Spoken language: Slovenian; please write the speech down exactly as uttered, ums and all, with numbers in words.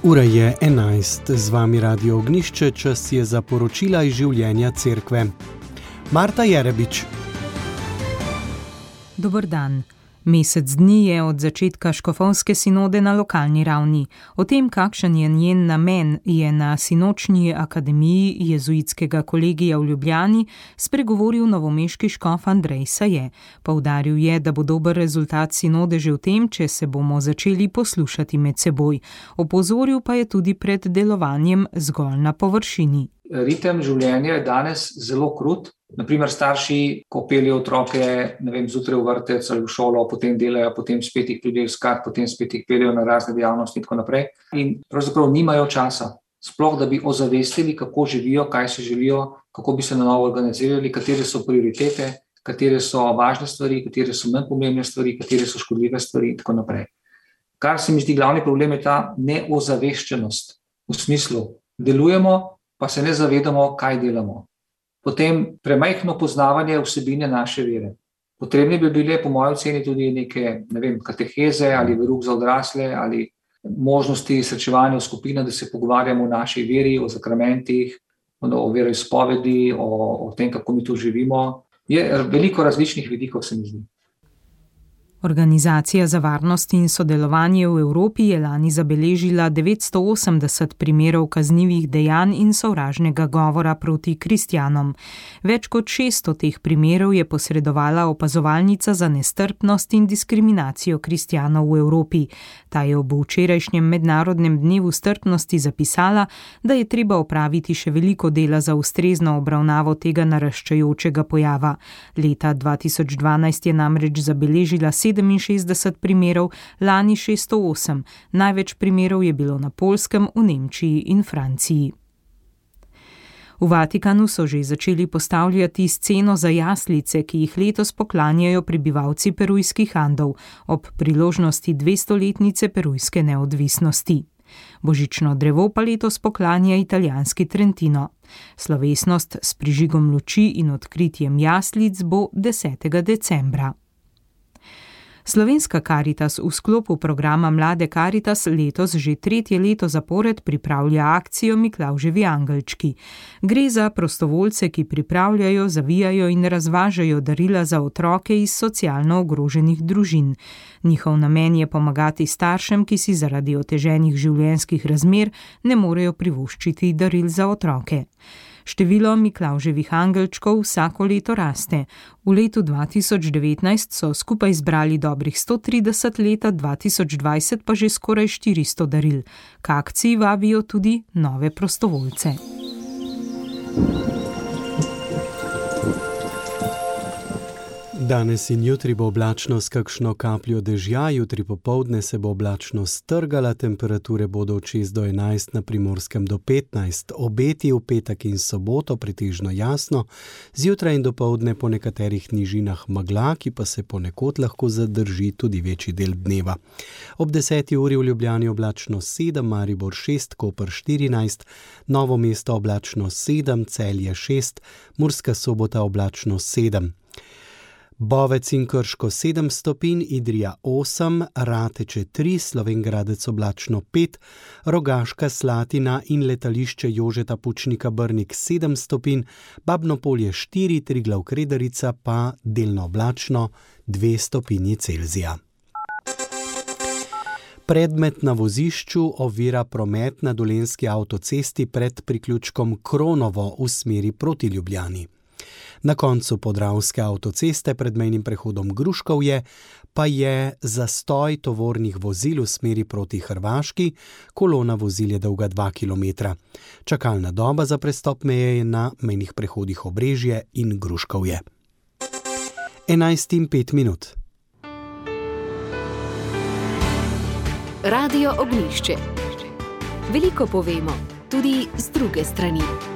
Ura je enajst, z vami Radio Ognjišče, čas je za poročila iz življenja cerkve. Marta Jerebič. Dober dan. Mesec dni je od začetka škofovske sinode na lokalni ravni. O tem, kakšen je njen namen, je na sinočnji akademiji jezuitskega kolegija v Ljubljani spregovoril novomeški škof Andrej Saje. Poudaril je, da bo dober rezultat sinode že v tem, če se bomo začeli poslušati med seboj. Opozoril pa je tudi pred delovanjem zgolj na površini. Ritem življenja je danes zelo krut. Naprimer, starši, ko peljejo otroke, ne vem, zjutraj v vrtec ali v šolo, potem delajo, potem spet jih pridejo iskat, potem spet jih peljejo na razne dejavnosti in tako naprej. In pravzaprav nimajo časa, sploh da bi ozavestili, kako živijo, kaj si želijo, kako bi se na novo organizirali, katere so prioritete, katere so važne stvari, katere so manj pomembne stvari, katere so škodljive stvari in tako naprej. Kar se mi zdi glavni problem je ta neozaveščenost. V smislu, delujemo, pa se ne zavedamo, kaj delamo. Potem premajhno poznavanje vsebine naše vere. Potrebni bi bile, po moji oceni, tudi neke, ne vem, kateheze ali verouk za odrasle ali možnosti srečevanja v skupinah, da se pogovarjamo o naši veri, o sakramentih, o veroizpovedi, o, o tem, kako mi tu živimo. Je veliko različnih vidikov, se mi zdi. Organizacija za varnost in sodelovanje v Evropi je lani zabeležila devetsto osemdeset primerov kaznivih dejanj in sovražnega govora proti kristjanom. Več kot šeststo teh primerov je posredovala opazovalnica za nestrpnost in diskriminacijo kristjanov v Evropi. Ta je ob včerajšnjem mednarodnem dnevu strpnosti zapisala, da je treba opraviti še veliko dela za ustrezno obravnavo tega naraščajočega pojava. Leta dva tisoč dvanajst je namreč zabeležila sedeminšestdeset primerov, lani šeststo osem. Največ primerov je bilo na Poljskem, v Nemčiji in Franciji. V Vatikanu so že začeli postavljati sceno za jaslice, ki jih letos poklanjajo prebivalci perujskih Andov ob priložnosti dvestoletnice perujske neodvisnosti. Božično drevo pa letos poklanja italijanski Trentino. Slovesnost s prižigom luči in odkritjem jaslic bo desetega decembra. Slovenska Karitas v sklopu programa Mlade Karitas letos že tretje leto zapored pripravlja akcijo Miklavževi angelčki. Gre za prostovoljce, ki pripravljajo, zavijajo in razvažajo darila za otroke iz socialno ogroženih družin. Njihov namen je pomagati staršem, ki si zaradi oteženih življenjskih razmer ne morejo privoščiti daril za otroke. Število Miklavževih angelčkov vsako leto raste. V letu dva tisoč devetnajst so skupaj zbrali dobrih sto trideset, leta dva tisoč dvajset pa že skoraj štiristo daril. K akciji vabijo tudi nove prostovoljce. Danes in jutri bo oblačno s kakšno kapljo dežja, jutri popoldne se bo oblačno strgala, temperature bodo od šest do enajst, na Primorskem do petnajst. Obeti v petek in soboto pretežno jasno, zjutraj in dopoldne po nekaterih nižinah megla, ki pa se ponekod lahko zadrži tudi večji del dneva. Ob deseti uri v Ljubljani oblačno sedem, Maribor šest, Koper štirinajst, Novo mesto oblačno sedem, Celje šest, Murska Sobota oblačno sedem. Bovec in Krško sedem stopinj, Idrija osem, Rateče tri, Slovenj Gradec oblačno pet, Rogaška Slatina in letališče Jožeta Pučnika Brnik sedem stopinj, Babno Polje štiri, Triglav Kredarica pa delno oblačno dve stopinji Celzija. Predmet na vozišču ovira promet na Dolenjski avtocesti pred priključkom Kronovo v smeri proti Ljubljani. Na koncu Podravske avtoceste pred mejnim prehodom Gruškovje pa je zastoj tovornih vozil v smeri proti Hrvaški, kolona vozil je dolga dva kilometra. Čakalna doba za prestop meje je na mejnih prehodih Obrežje in Gruškovje. enajst in pet minut. Radio Ognjišče. Veliko povemo, tudi z druge strani.